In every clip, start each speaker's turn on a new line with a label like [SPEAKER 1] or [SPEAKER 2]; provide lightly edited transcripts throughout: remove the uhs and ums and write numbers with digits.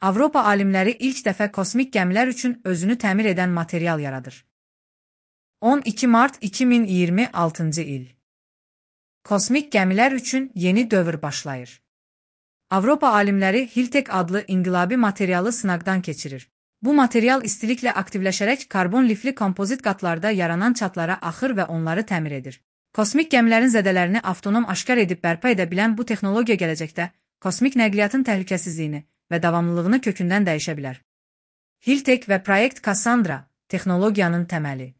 [SPEAKER 1] Avropa alimləri ilk dəfə kosmik gəmilər üçün özünü təmir edən material yaradır. 12 mart 2026-cı il. Kosmik gəmilər üçün yeni dövr başlayır. Avropa alimləri Hiltek adlı inqilabi materialı sınaqdan keçirir. Bu material istiliklə aktivləşərək karbon lifli kompozit qatlarda yaranan çatlara axır və onları təmir edir. Kosmik gəmilərin zədələrini avtonom aşkar edib bərpa edə bilən bu texnologiya gələcəkdə kosmik nəqliyyatın təhlükəsizliyini və davamlılığını kökündən dəyişə bilər. Hiltek və Proyekt Cassandra texnologiyanın təməli.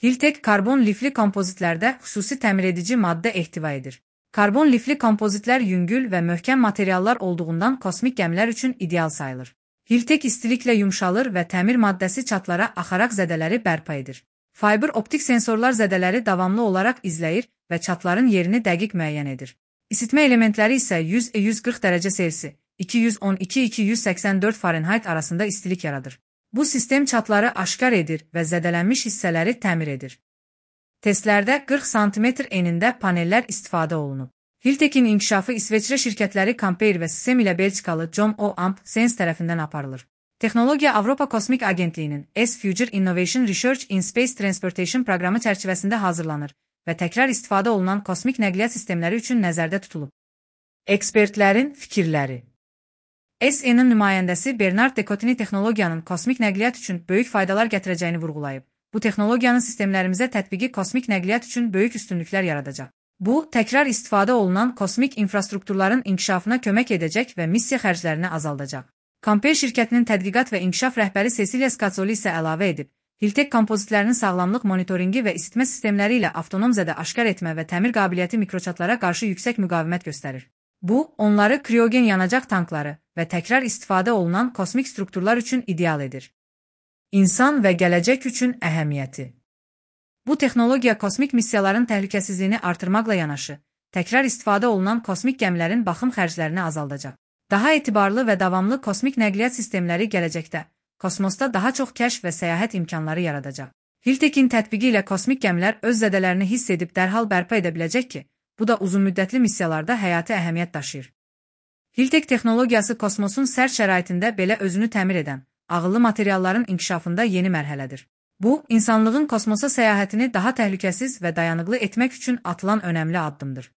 [SPEAKER 1] Hiltek karbon lifli kompozitlərdə xüsusi təmiredici maddə ehtiva edir. Karbon lifli kompozitlər yüngül və möhkəm materiallar olduğundan kosmik gəmilər üçün ideal sayılır. Hiltek istiliklə yumşalır və təmir maddəsi çatlara axaraq zədələri bərpa edir. Fiber optik sensorlar zədələri davamlı olaraq izləyir və çatların yerini dəqiq müəyyən edir. İsitmə elementləri isə 100-140 dərəcə Selsi, 212-284 Fahrenheit arasında istilik yaradır. Bu sistem çatları aşkar edir və zədələnmiş hissələri təmir edir. Testlərdə 40 sm enində panellər istifadə olunub. Hiltekin inkişafı İsveçrə şirkətləri Compeir və System ilə Belçikalı John O. Amp Sens tərəfindən aparılır. Texnologiya Avropa Kosmik Agentliyinin S-Future Innovation Research in Space Transportation proqramı çərçivəsində hazırlanır və təkrar istifadə olunan kosmik nəqliyyat sistemləri üçün nəzərdə tutulub. Ekspertlərin fikirləri. SN-in nümayəndəsi Bernard Decotini texnologiyanın kosmik nəqliyyat üçün böyük faydalar gətirəcəyini vurğulayıb. Bu texnologiyanın sistemlərimizə tətbiqi kosmik nəqliyyat üçün böyük üstünlüklər yaradacaq. Bu, təkrar istifadə olunan kosmik infrastrukturların inkişafına kömək edəcək və missiya xərclərini azaldacaq. Compeir şirkətinin tədqiqat və inkişaf rəhbəri Cecilia Scazzoli isə əlavə edib, Hiltek kompozitlərinin sağlamlıq monitoringi və isitmə sistemləri ilə avtonom zədə aşkar etmə və təmir qabiliyyəti mikroçatlara qarşı yüksək müqavimət göstərir. Bu, onları kriogen yanacaq tankları və təkrar istifadə olunan kosmik strukturlar üçün ideal edir. İnsan və gələcək üçün əhəmiyyəti. Bu texnologiya kosmik missiyaların təhlükəsizliyini artırmaqla yanaşı, təkrar istifadə olunan kosmik gəmilərin baxım xərclərini azaldacaq. Daha etibarlı və davamlı kosmik nəqliyyat sistemləri gələcəkdə, kosmosda daha çox kəşf və səyahət imkanları yaradacaq. Hiltekin tətbiqi ilə kosmik gəmilər öz zədələrini hiss edib dərhal bərpa edə biləcək ki, bu da uzunmüddətli missiyalarda həyati əhəmiyyət daşıyır. Hiltek texnologiyası kosmosun sərt şəraitində belə özünü təmir edən, ağıllı materialların inkişafında yeni mərhələdir. Bu, insanlığın kosmosa səyahətini daha təhlükəsiz və dayanıqlı etmək üçün atılan önəmli addımdır.